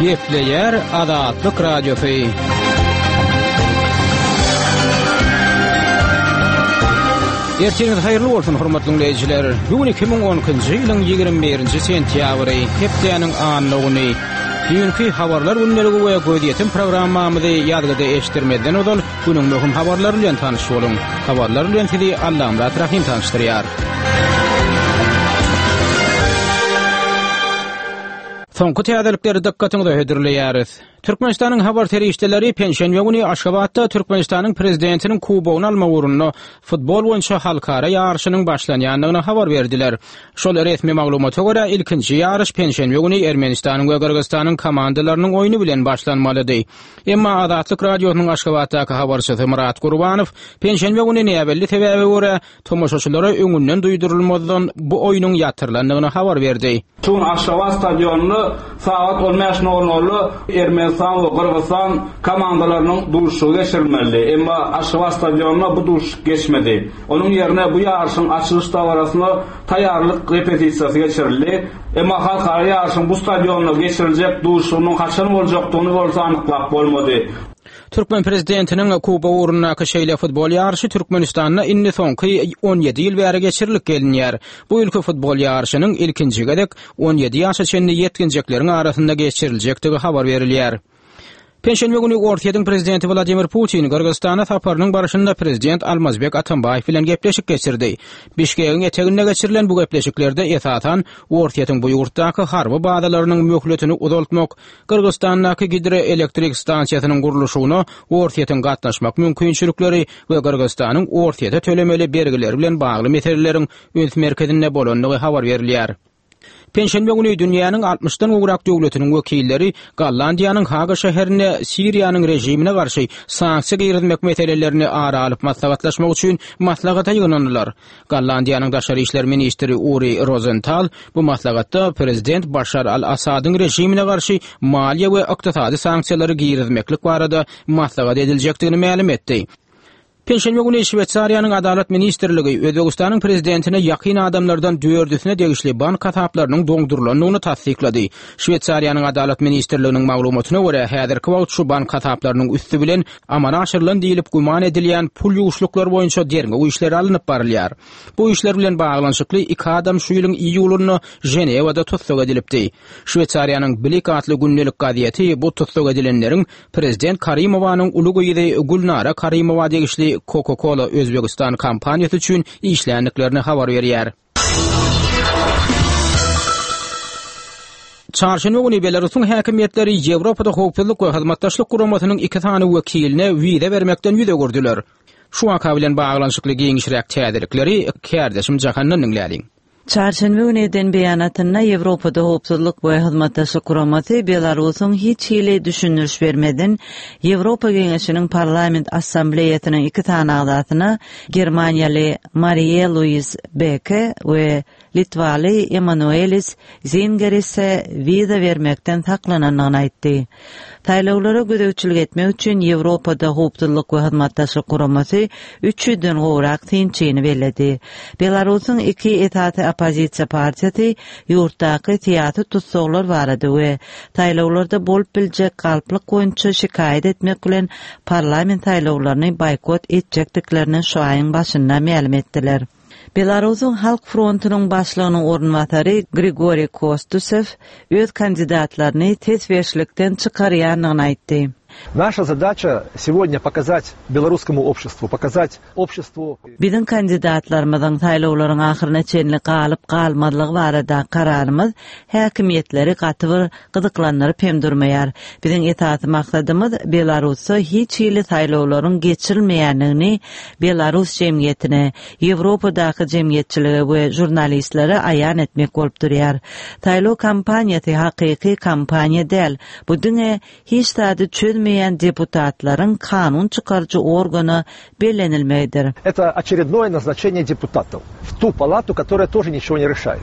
Gepleýär Azatlyk Radiosy. Ertiriňiz haýyrly bolsun, hormatly diňleýjiler. Bu gün 2012-nji ýylyň 21-nji sentýabry, hepdäniň anna güni. Düýnki habarlar gündeligi we gözýetim programmamyzy ýazgyda eşitdirmezden ozal günüň möhüm habarlary bilen tanyş boluň. Habarlar bilen sizi Allamyrat Rahym tanyşdyrýar. Soňky täzelikleri dykgatyňyza hödürleýäris. Türkmenistanyň habar serişdeleri penşenbe güni Aşgabatda Türkmenistanyň Prezidentiniň Kubogyny almak ugrunda futbol boýunça halkara ýaryşynyň başlanýandygyny habar berdiler. Şol resmi maglumata görä, ilkinji ýaryş penşenbe güni Ermenistanyň we Gyrgyzystanyň komandalarynyň oýny bilen başlanmalydy. Emma Azatlyk Radiosynyň Aşgabatdaky habarçysy Myrat Gurbanow penşenbe güni näbelli sebäbe görä, tomaşaçylara öňünden duýdurylmazdan bu oýnuň ýatyrylandygyny habar berdi. Şu gün Aşgabat stadionynda sagat on bäş nol nolda Ermenistan we Gyrgyzystan komandalarynyň duşuşygy geçirilmelidi. Emma Aşgabat stadionynda bu duşuşyk geçmedi. Onuň ýerine bu ýaryşyň açylyş dabarasyna taýýarlyk repetisiýasy geçirildi. Emma halkara ýaryşyň bu stadionda geçiriljek duşuşygynyň haçan boljakdygyny bolsa anyklap bolmady. Türkmen prezidentiniň Kubogy ugrundaky şeýle futbol ýaryşy Türkmenistanda indi soňky 17 ýyl bäri geçirilip gelinýär. Bu ýylky futbol ýaryşynyň ilkinji gezek 17 ýaşa çenli ýetginjekleriň arasynda geçiriljekdigi habar berilýär. Penşenbe güni Orsýetiň prezidenti Wladimir Putin Gyrgyzystana saparynyň barşynda prezident Almazbek Atambaýew bilen gepleşik geçirdi. Bişkegiň eteginde geçirilen bu gepleşiklerde esasan Orsýetiň bu ýurtdaky harby bazalarynyň möhletini uzaltmak, Gyrgyzystandaky gidroelektrik stansiýasynyň gurluşygyna Orsýetiň gatnaşmak mümkinçilikleri we Gyrgyzystanyň Orsýete tölemeli bergileri bilen bagly meseleleriň üns merkezinde bolandygy habar berilýär. Penşenbe güni dünýäniň altmyşdan gowrak döwletiniň wekilleri Gollandiýanyň Haga şäherinde Siriýanyň režimine garşy sanksiýa girizmek meselelerini ara alyp maslahatlaşmak üçin maslahata ýygnandylar. Gollandiýanyň daşary işler ministri Uri Rozental bu maslahatda prezident Başar al-Assadyň režimine garşy maliýe we ykdysady sanksiýalary girizmeklik barada maslahat ediljekdigini mälim etdi. Penşenbe güni Şweýsariýanyň Adalat ministrligi Özbegistanyň prezidentine ýakyn adamlardan dördüsine degişli bank hasaplarynyň doňdurylandygyny tassyklady. Şweýsariýanyň Adalat ministrliginiň maglumatyna görä, häzirki wagt şu bank hasaplarynyň üsti bilen amala aşyrylan diýlip güman edilýän pul ýuwuşlyklar boýunça derňew işleri alnyp barylýar. Bu işler bilen baglanyşykly iki adam şu ýylyň iýulynda Ženewada tussag edilipdi. Şweýsariýanyň Blick atly gündelik gazeti bu tussag edilenleriň prezident Karimowanyň uly gyzy Gülnara Karimowa degişli Coca-Cola Özbegistan kompaniýasy üçin işländiklerini habar berýär. Çarşenbe güni Belarusyň häkimiýetleri Ýewropada Howpsuzlyk we Hyzmatdaşlyk Guramasynyň iki sany wekiline wiza bermekden ýüz öwürdiler. Şu waka bilen baglanyşykly giňişräk täzelikleri kärdeşim Jahandan diňläliň. Çarşenbe güni eden beýanatynda Ýewropada Howpsuzlyk we Hyzmatdaşlyk Guramasy Belarusyň hiç hili düşündiriş bermezden Ýewropa Geňeşiniň Parlament Assambleýasynyň iki sany agzasyna germaniýaly Mariýe-Luiz Beke we litwaly Emanuelis Zingerise wiza bermekden saklanandygyny aýtdy. Saýlawlara gözegçilik etmek üçin Ýewropada Howpsuzlyk we Hyzmatdaşlyk Guramasy üç ýüzden gowrak synçyny belledi. Belarusyň iki esasy oppozisiýa partiýasy ýurtdaky syýasy tussaglar barada we saýlawlarda bolup biljek galplyk boýunça şikaýat etmek bilen parlament saýlawlaryny boýkot etjekdiklerini şu aýyň başynda mälim etdiler. Belarusyň Halk frontunyň başlygynyň orunbasary Grigoriý Kostusew öz kandidatlaryny ses berişlikden çykarýandygyny aýtdy. Naşa zadaça segodnýa pokazat belorusskomu obşestwu, pokazat obşestwu. Biziň kandidatlarymyzyň saýlawlaryň ahyryna çenli galyp-galmazlygy barada kararymyz häkimiýetleri gaty bir gyzyklandyryp hem durmaýar. Biziň esasy maksadymyz Belarusda hiç hili saýlawlaryň geçirilmeýändigini belarus jemgyýetine, Ýewropadaky jemgyýetçilige we žurnalistlere aýan etmek bolup durýar. Saýlaw kampaniýasy hakyky kampaniýa däl, bu diňe hiç zady çözmeýän deputatlaryň kanun çykaryjy organa bellenilmegidir. Это очередное назначение депутатов в ту палату, которая тоже ничего не решает.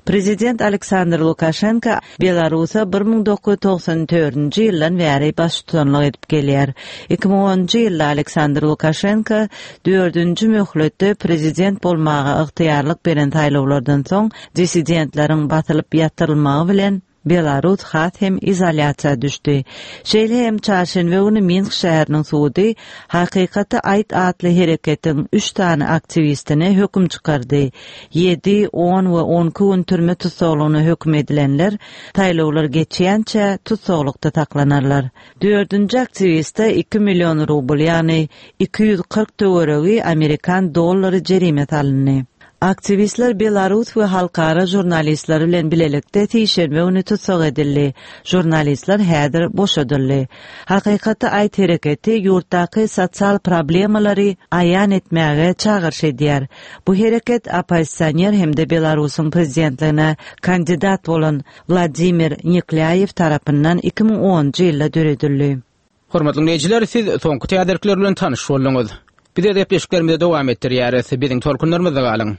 Prezident Aleksandr Lukaşenko Belarusa 1994-nji ýyldan bäri baştutanlyk edip gelýär. 2010-njy ýylda Aleksandr Lukaşenko dördünji möhletde prezident bolmaga ygtyýarlyk beren saýlawlardan soň dissidentleriň basylyp ýatyrylmagy bilen. Belarus has hem izolýasiýa düşdi. Şeýle hem çarşenbe güni Minsk şäheriniň sudy Hakykaty aýt atly hereketiň üç sany aktiwistine höküm çykardy. Ýedi, on we onki gün türme tussaglygyna höküm edilenler saýlawlar geçýänçä tussaglykda saklanarlar. Dördünji aktiwiste iki million rubl, ýagny 240 töweregi amerikan dollary jerime salyndy. Aktiwistler belarus we halkara žurnalistleri bilen bilelikde sişenbe güni tussag edildi. Žurnalistler häzir boşadyldy. Hakykaty aýt hereketi ýurtdaky sosial problemalary aýan etmäge çagyryş edýär. Bu hereket oppozisioner hem-de Belarusyň prezidentligine kandidat bolan Wladimir Neklýaýew tarapyndan 2010-njy ýylda döredildi. Hormatly diňleýjiler, siz soňky täzelikler bilen tanyş bolduňyz. Biz öz gepleşiklerimizi dowam etdirýäris. Biziň tolkunlarymyzda galyň.